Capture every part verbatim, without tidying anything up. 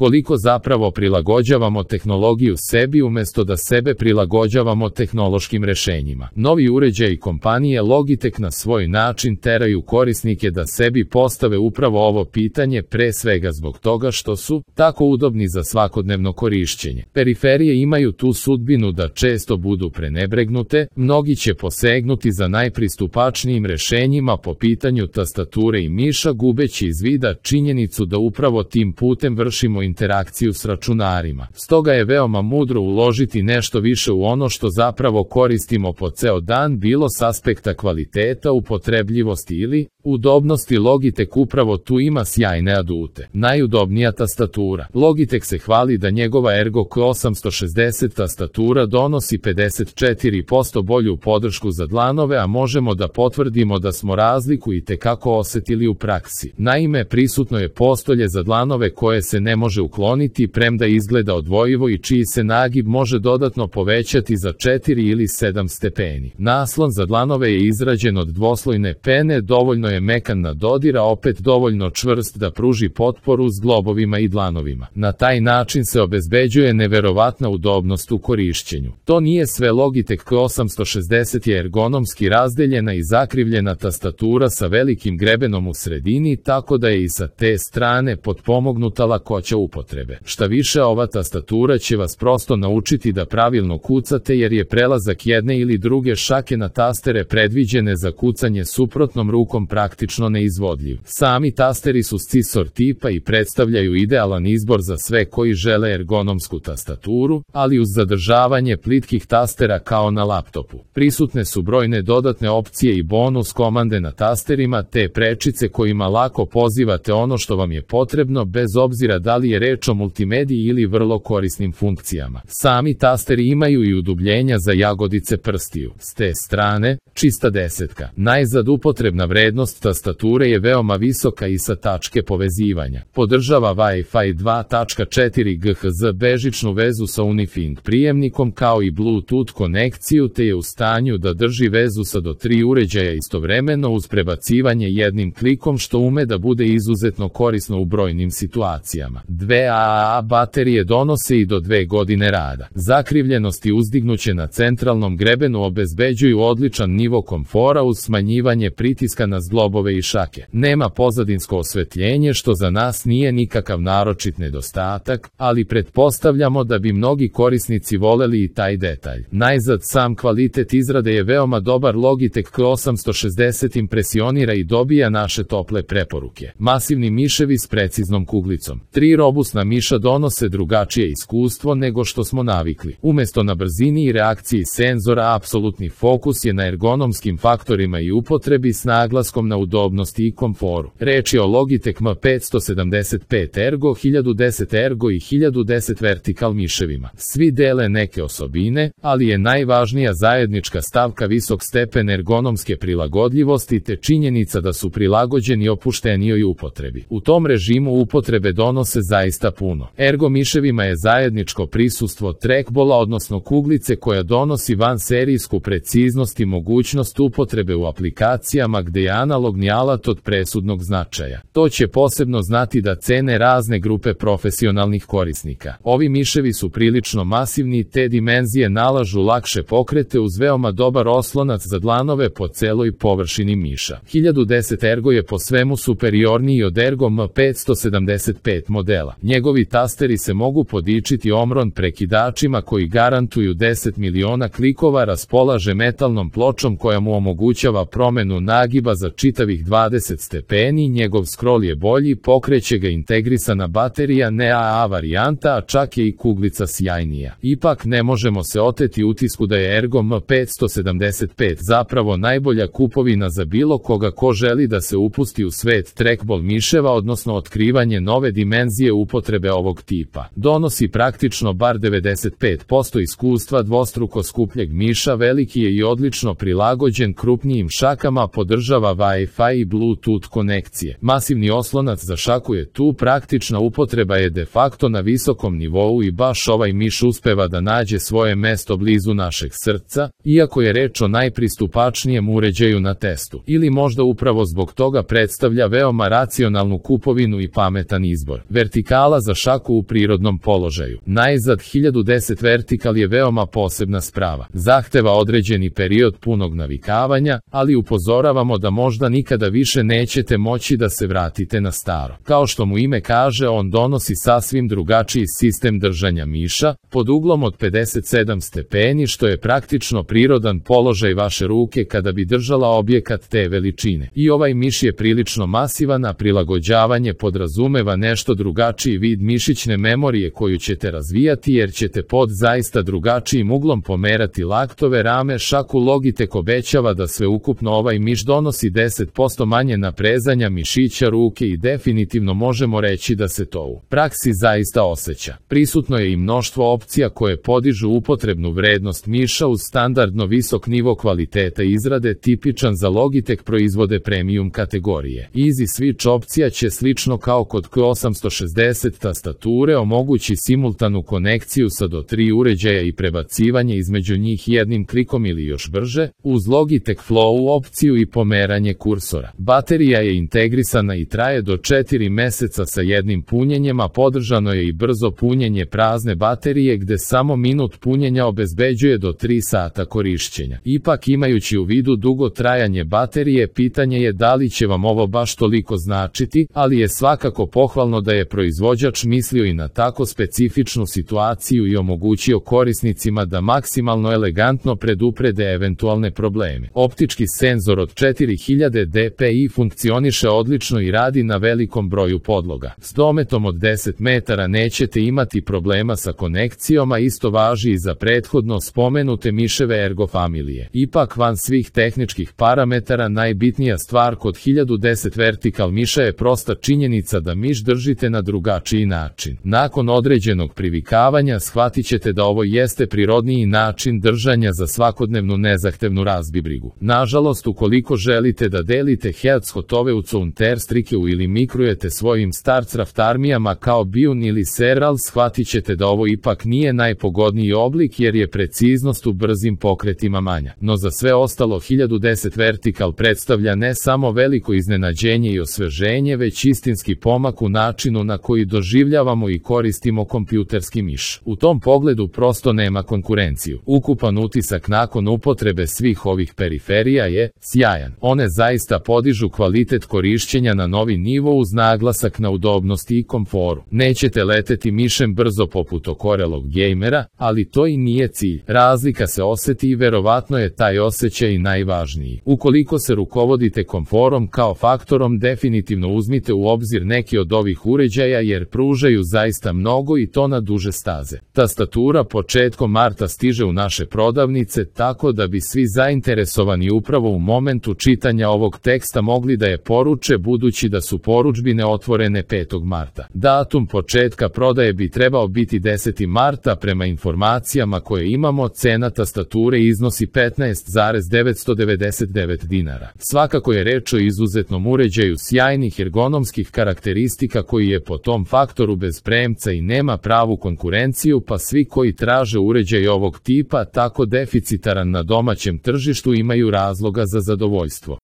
Koliko zapravo prilagođavamo tehnologiju sebi umjesto da sebe prilagođavamo tehnološkim rešenjima. Novi uređaji kompanije Logitech na svoj način teraju korisnike da sebi postave upravo ovo pitanje, pre svega zbog toga što su tako udobni za svakodnevno korišćenje. Periferije imaju tu sudbinu da često budu prenebregnute, mnogi će posegnuti za najpristupačnijim rešenjima po pitanju tastature i miša, gubeći iz vida činjenicu da upravo tim putem vršimo interakciju s računarima. Stoga je veoma mudro uložiti nešto više u ono što zapravo koristimo po ceo dan, bilo s aspekta kvaliteta, upotrebljivosti ili udobnosti. Logitech upravo tu ima sjajne adute. Najudobnija tastatura. Logitech se hvali da njegova Ergo K osamsto šezdeset tastatura donosi pedeset četiri posto bolju podršku za dlanove, a možemo da potvrdimo da smo razliku i tekako osetili u praksi. Naime, prisutno je postolje za dlanove koje se ne može ukloniti, premda izgleda odvojivo i čiji se nagib može dodatno povećati za četiri ili sedam stepeni. Naslon za dlanove je izrađen od dvoslojne pene, dovoljno je mekan na dodir, a opet dovoljno čvrst da pruži potporu zglobovima i dlanovima. Na taj način se obezbeđuje neverovatna udobnost u korišćenju. To nije sve. Logitech K osamsto šezdeset je ergonomski razdeljena i zakrivljena tastatura sa velikim grebenom u sredini, tako da je i sa te strane potpomognuta lakoća upotrebe. Šta više, ova tastatura će vas prosto naučiti da pravilno kucate, jer je prelazak jedne ili druge šake na tastere predviđene za kucanje suprotnom rukom praktično neizvodljiv. Sami tasteri su scisor tipa i predstavljaju idealan izbor za sve koji žele ergonomsku tastaturu, ali uz zadržavanje plitkih tastera kao na laptopu. Prisutne su brojne dodatne opcije i bonus komande na tasterima, te prečice kojima lako pozivate ono što vam je potrebno, bez obzira da li je reč o multimediji ili vrlo korisnim funkcijama. Sami tasteri imaju i udubljenja za jagodice prstiju. S te strane, čista desetka. Najzad, upotrebna vrednost tastature je veoma visoka i sa tačke povezivanja. Podržava Wi-Fi dva tačka četiri G H Z, bežičnu vezu sa Unifink prijemnikom kao i Bluetooth konekciju, te je u stanju da drži vezu sa do tri uređaja istovremeno uz prebacivanje jednim klikom, što ume da bude izuzetno korisno u brojnim situacijama. Dve A A baterije donose i do dve godine rada. Zakrivljenost i uzdignuće na centralnom grebenu obezbeđuju odličan nivo komfora uz smanjivanje pritiska na zglobove i šake. Nema pozadinsko osvetljenje, što za nas nije nikakav naročit nedostatak, ali pretpostavljamo da bi mnogi korisnici voleli i taj detalj. Najzad, sam kvalitet izrade je veoma dobar. Logitech K osamsto šezdeset impresionira i dobija naše tople preporuke. Masivni miševi s preciznom kuglicom. Tri robusna miša donose drugačije iskustvo nego što smo navikli. Umesto na brzini i reakciji senzora, apsolutni fokus je na ergonomskim faktorima i upotrebi s naglaskom na udobnosti i komforu. Reč je o Logitech M petsto sedamdeset pet Ergo, hiljadu deset Ergo i hiljadu deset Vertical miševima. Svi dele neke osobine, ali je najvažnija zajednička stavka visok stepen ergonomske prilagodljivosti te činjenica da su prilagođeni opuštenijoj upotrebi. U tom režimu upotrebe donose zaista puno. Ergo miševima je zajedničko prisustvo trackballa, odnosno kuglice koja donosi vanserijsku preciznost i mogućnost upotrebe u aplikacijama gde je analogni alat od presudnog značaja. To će posebno znati da cene razne grupe profesionalnih korisnika. Ovi miševi su prilično masivni, te dimenzije nalažu lakše pokrete uz veoma dobar oslonac za dlanove po celoj površini miša. hiljadu deset Ergo je po svemu superiorniji od Ergo M petsto sedamdeset pet modela. Njegovi tasteri se mogu podičiti omron prekidačima koji garantuju deset miliona klikova, raspolaže metalnom pločom koja mu omogućava promenu nagiba za čitavih dvadeset stepeni, njegov scroll je bolji, pokreće ga integrisana baterija, ne A A varijanta, a čak je i kuglica sjajnija. Ipak ne možemo se oteti utisku da je Ergo M petsto sedamdeset pet zapravo najbolja kupovina za bilo koga ko želi da se upusti u svet trackball miševa, odnosno otkrivanje nove dimenzije upotrebe ovog tipa. Donosi praktično bar devedeset pet posto iskustva dvostruko skupljeg miša, veliki je i odlično prilagođen krupnijim šakama, podržava Wi-Fi i Bluetooth konekcije. Masivni oslonac za šaku je tu, praktična upotreba je de facto na visokom nivou i baš ovaj miš uspeva da nađe svoje mesto blizu našeg srca, iako je reč o najpristupačnijem uređaju na testu. Ili možda upravo zbog toga predstavlja veoma racionalnu kupovinu i pametan izbor. Vertikal vertikala za šaku u prirodnom položaju. Najzad hiljadu deset vertikal je veoma posebna sprava. Zahteva određeni period punog navikavanja, ali upozoravamo da možda nikada više nećete moći da se vratite na staro. Kao što mu ime kaže, on donosi sasvim drugačiji sistem držanja miša, pod uglom od pedeset sedam stepeni, što je praktično prirodan položaj vaše ruke kada bi držala objekat te veličine. I ovaj miš je prilično masivan, a prilagođavanje podrazumeva nešto drugačiji vid mišićne memorije koju ćete razvijati, jer ćete pod zaista drugačijim uglom pomerati laktove rame. Šaku Logitech obećava da sveukupno ovaj miš donosi deset posto manje naprezanja mišića ruke i definitivno možemo reći da se to u praksi zaista osjeća. Prisutno je i mnoštvo opcija koje podižu upotrebnu vrednost miša uz standardno visok nivo kvaliteta izrade tipičan za Logitech proizvode premium kategorije. Easy Switch opcija će slično kao kod K osamsto šezdeset tastature omogući simultanu konekciju sa do tri uređaja i prebacivanje između njih jednim klikom ili još brže, uz Logitech Flow opciju i pomeranje kursora. Baterija je integrisana i traje do četiri meseca sa jednim punjenjem, a podržano je i brzo punjenje prazne baterije gde samo minut punjenja obezbeđuje do tri sata korišćenja. Ipak, imajući u vidu dugo trajanje baterije, pitanje je da li će vam ovo baš toliko značiti, ali je svakako pohvalno da je proizvođač mislio i na tako specifičnu situaciju i omogućio korisnicima da maksimalno elegantno preduprede eventualne probleme. Optički senzor od četiri hiljade dpi funkcioniše odlično i radi na velikom broju podloga. S dometom od deset metara nećete imati problema sa konekcijom, a isto važi i za prethodno spomenute miševe Ergo familije. Ipak, van svih tehničkih parametara, najbitnija stvar kod hiljadu deset vertikal miša je prosta činjenica da miš držite na drugačiji način. Nakon određenog privikavanja shvatit ćete da ovo jeste prirodniji način držanja za svakodnevnu nezahtevnu razbibrigu. Nažalost, ukoliko želite da delite headshotove u Counter-Strikeu ili mikrujete svojim StarCraft armijama kao Bion ili Serral, shvatit ćete da ovo ipak nije najpogodniji oblik jer je preciznost u brzim pokretima manja. No za sve ostalo hiljadu deset vertikal predstavlja ne samo veliko iznenađenje i osveženje, već istinski pomak u načinu na koji doživljavamo i koristimo kompjuterski miš. U tom pogledu prosto nema konkurenciju. Ukupan utisak nakon upotrebe svih ovih periferija je sjajan. One zaista podižu kvalitet korišćenja na novi nivo uz naglasak na udobnosti i komforu. Nećete leteti mišem brzo poput okorelog gejmera, ali to i nije cilj. Razlika se osjeti i verovatno je taj osjećaj najvažniji. Ukoliko se rukovodite komforom kao faktorom, definitivno uzmite u obzir neki od ovih uređaja jer pružaju zaista mnogo i to na duže staze. Tastatura početkom marta stiže u naše prodavnice, tako da bi svi zainteresovani upravo u momentu čitanja ovog teksta mogli da je poruče, budući da su poručbine otvorene petog marta. Datum početka prodaje bi trebao biti deseti marta. Prema informacijama koje imamo, cena tastature iznosi petnaest zarez devetsto devedeset devet dinara. Svakako je reč o izuzetnom uređaju sjajnih ergonomskih karakteristika koji je po tom faktoru bez premca i nema pravu konkurenciju, pa svi koji traže uređaj ovog tipa tako deficitaran na domaćem tržištu imaju razloga za zadovoljstvo.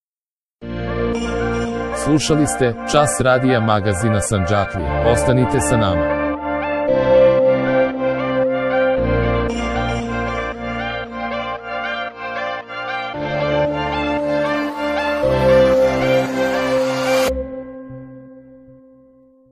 Slušali ste Čas radija magazina Sandžaklija. Ostanite sa nama.